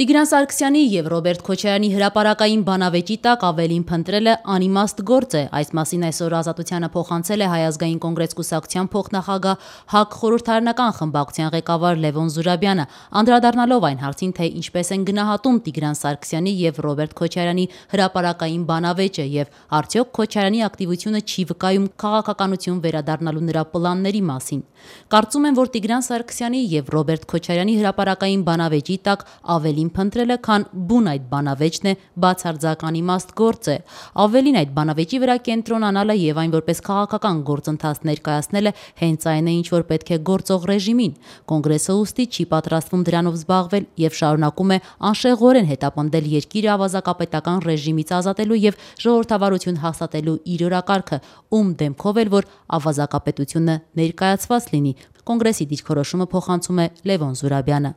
Տիգրան Սարգսյանի եւ Ռոբերտ Քոչարյանի հրապարակային բանավեճի տակ ավելին փնտրելը անիմաստ գործ է։ Այս մասին այսօր Ազատությանը փոխանցել է Հայ ազգային կոնգրես կուսակցության փոխնախագահ ՀԱԿ խորհրդարանական խմբակցության ղեկավար Լևոն Զուրաբյանը, անդրադառնալով այն հարցին, թե ինչպես են գնահատում Տիգրան Սարգսյանի եւ Ռոբերտ Քոչարյանի հրապարակային բանավեճը եւ արդյոք Քոչարյանի ակտիվությունը չի վկայում քաղաքականություն վերադառնալու նրա պլանների մասին։ Կարծում եմ, որ Տիգրան Սարգսյանի եւ Ռոբերտ Քոչարյանի հրապարակային բանավեճի տակ ավելին փնտրելը, քան բուն այդ բանավեճն է, բացարձական իմաստ գործ է։ Ավելին այդ բանավեճի վրա կենտրոնանալը եւ այն որպես քաղաքական գործընթաց ներկայացնելը հենց այն է, ինչ որ պետք է գործող ռեժիմին։ Կոնգրեսը ուստի չի պատրաստվում դրանով զբաղվել եւ շարունակում է անշեղորեն հետապնդել երկիրը ավազակապետական ռեժիմից ազատելու եւ ժողովրդավարություն հաստատելու իր օրակարգը, ում դեմքով էլ որ ավազակապետությունը ներկայացված լինի։ Կոնգրեսի դիրքորոշումը փոխանցում է Լևոն Զուրաբյանը։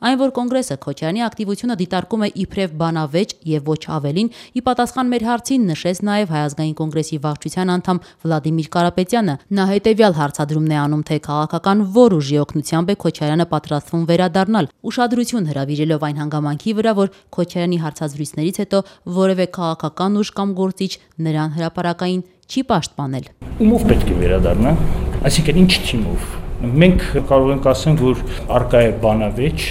Այն, որ կոնգրեսը Քոչարյանի ակտիվությունը դիտարկում է իբրև բանավեճ եւ ոչ ավելին, ի պատասխան մեր հարցին նշեց նաեւ Հայ ազգային կոնգրեսի վարչության անդամ Վլադիմիր Կարապետյանը։ Նա հետեւյալ հարցադրումն է անում, թե քաղաքական որ ուժի օգնությամբ է Քոչարյանը պատրաստվում վերադառնալ, ուշադրություն հրավիրելով այն հանգամանքի վրա, որ Քոչարյանի հարցազրույցներից հետո որևէ քաղաքական ուժ կամ գործիչ նրան հրապարակային չի պաշտպանել։ Ումով պետք է վերադառնա, այսինքն ինչ թիմով։ Մենք կարող ենք ասել, որ արկա է բանավեճ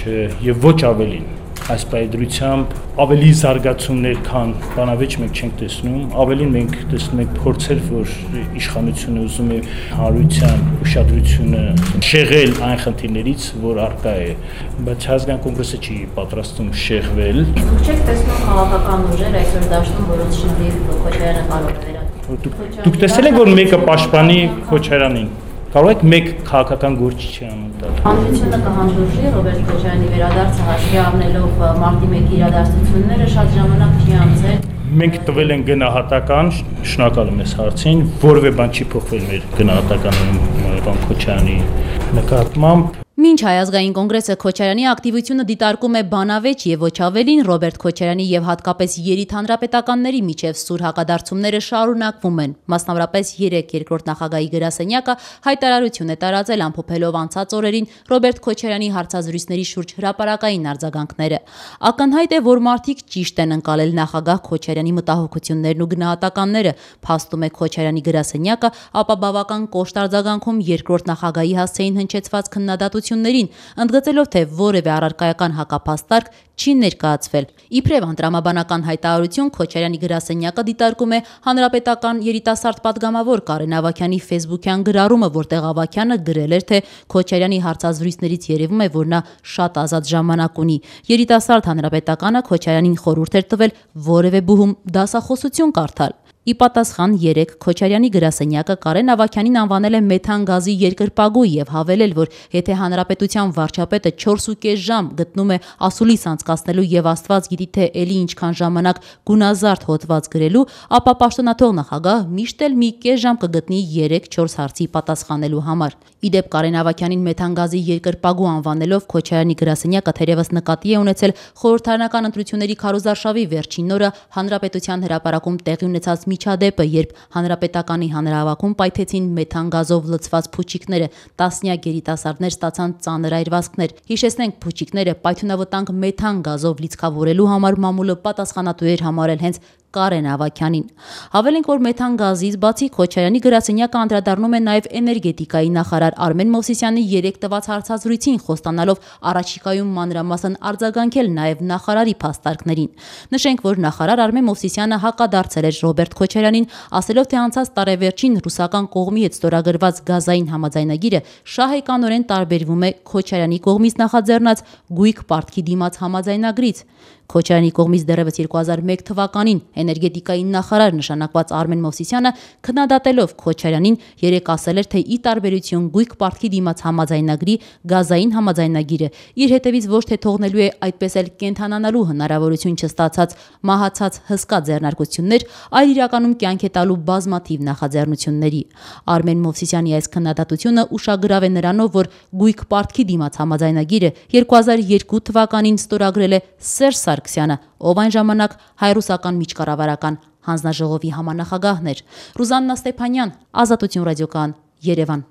եւ ոչ ավելին։ Այս պայդրությամբ ավելի զարգացումներ, քան բանավեճ մենք չենք տեսնում, ավելին մենք տեսնում ենք փորձեր, որ իշխանությունը ուզում է հանրության ուշադրությունը շեղել այն խնդիրներից, որ արկա է, բայց ազգային կոնգրեսը չի պատրաստվում շեղվել։ Դուք չեք տեսնում քաղաքական ուժեր այսօր դաշտում, որոնց շնորհիվ Քոչարյանը կարող է վերադառնալ։ Դուք տեսել եք, որ մեկը պաշտպանի Քոչարյանին։ Կարող եք մեկ քաղաքական գործիչի անուն տալ։ Հանրությունը կհանդուրժի Ռոբերտ Քոչարյանի վերադարձը հաշվի առնելով մարտի 1-ի իրադարձությունները շատ ժամանակ չի անցել։ Մենք տվել են գնահատական, շնորհակալ եմ այս հարցին, որևէ բան չի փոխվել մեր գնահատականում պարոն Քոչարյանի նկատմամբ։ Մինչ Հայ ազգային կոնգրեսը Քոչարյանի ակտիվությունը դիտարկում է բանավեճ եւ ոչ ավելին, Ռոբերտ Քոչարյանի եւ հատկապես երիտ հանրապետականների միջև սուր հակադարձումները շարունակվում են։ Մասնավորապես 3 երկրորդ նախագահի գրասենյակը հայտարարություն է տարածել ամփոփելով անցած օրերին Ռոբերտ Քոչարյանի հարցազրույցների շուրջ հրապարակային արձագանքները։ Ակնհայտ է, որ մարդիկ ճիշտ են ընկալել նախագահ Քոչարյանի մտահոգություններն ու գնահատականները, փաստում է Քոչարյանի գրասենյակը, ապա բավական կոշտ արձագանքում երկրորդ նախագահի հասցեին հնչեցված քննադատություններին, ընդգծելով, թե որևէ առարկայական հակափաստարկ չի ներկայացվել։ Իբրև անդրամաբանական հայտարարություն Քոչարյանի գրասենյակը դիտարկում է հանրապետական երիտասարդ պատգամավոր Կարեն Ավագյանի ֆեյսբուքյան գրառումը, որտեղ Ավագյանը գրել էր, թե Քոչարյանի հարցազրույցներից երևում է, որ նա շատ ազատ ժամանակ ունի։ Երիտասարդ հանրապետականը Քոչարյանին խորհուրդ էր տվել որևէ բուհում դասախոսություն կարդալ։ Ի պատասխան 3 Քոչարյանի գրասենյակը Կարեն Ավագյանին անվանել է մեթան գազի երկրպագու եւ հավելել, որ եթե հանրապետության վարչապետը 4.5 ժամ գտնում է ասուլիս անցկացնելու եւ Աստված գիտի թե էլի ինչքան ժամանակ գունազարդ հոդված գրելու, ապա պաշտոնաթող նախագահ միշտ էլ մի կես ժամ կգտնի 3-4 հարցի պատասխանելու համար։ Իդեպ Կարեն Ավագյանին մեթան գազի երկրպագու անվանելով Քոչարյանի գրասենյակը թերևս նկատի է ունեցել խորհրդարանական ընտրությունների քարոզարշավի վերջին օրը հանրապետության հրապարակում տեղի ունեցած միջադեպը, երբ հանրապետականի հանրահավաքում պայթեցին մեթան գազով լցված փուչիկները, տասնյակ երիտասարդներ ստացան ծանր այրվածքներ։ Հիշեցնենք, փուչիկները պայթյունավտանգ մեթան գազով լիցքավորելու համար մամուլը պատասխանատու էր համարել հենց Կարեն Ավագյանին։ Հավելենք, որ մեթան գազից բացի Քոչարյանի գրասենյակը անդրադառնում է նաև էներգետիկայի նախարար Արմեն Մովսիսյանի 3 տված հարցազրույցին, խոստանալով առաջիկայում մանրամասն արձագանքել նաև նախարարի փաստարկներին։ Նշենք, որ նախարար Արմեն Մովսիսյանը հակադարձել էր Ռոբերտ Քոչարյանին, ասելով, թե անցած տարեվերջին ռուսական կողմի հետ ստորագրված գազային համաձայնագիրը շահեկանորեն տարբերվում է Քոչարյանի կողմից նախաձեռնած գույք պարտքի դիմաց համաձայնագրից։ Քոչարյանի կողմից դեռևս 2001 թվականին էներգետիկայի նախարար նշանակված Արմեն Մովսիսյանը քննադատելով Քոչարյանին երեկ ասել էր, թե ի տարբերություն գույք պարտքի դիմաց համաձայնագրի գազային համաձայնագիրը իր հետևից ոչ թե թողնելու է այդպես էլ կենթանանալու հնարավորություն չստացած մահացած հսկա ձեռնարկություններ, այլ իրականում կյանք է տալու բազմաթիվ նախաձեռնությունների։ Արմեն Մովսիսյանի այս քննադատությունը ուշագրավ է նրանով, որ գույք պարտքի դիմաց համաձայնագիրը 2002 թվականին ստորագրել է Սերժ Սարգսյանը, ով այն ժամանակ հայ-ռուսական միջկառավարական հանձնաժողովի համանախագահն էր։ Ռուզաննա Ստեփանյան, Ազատություն ռադիոկայան, Երևան։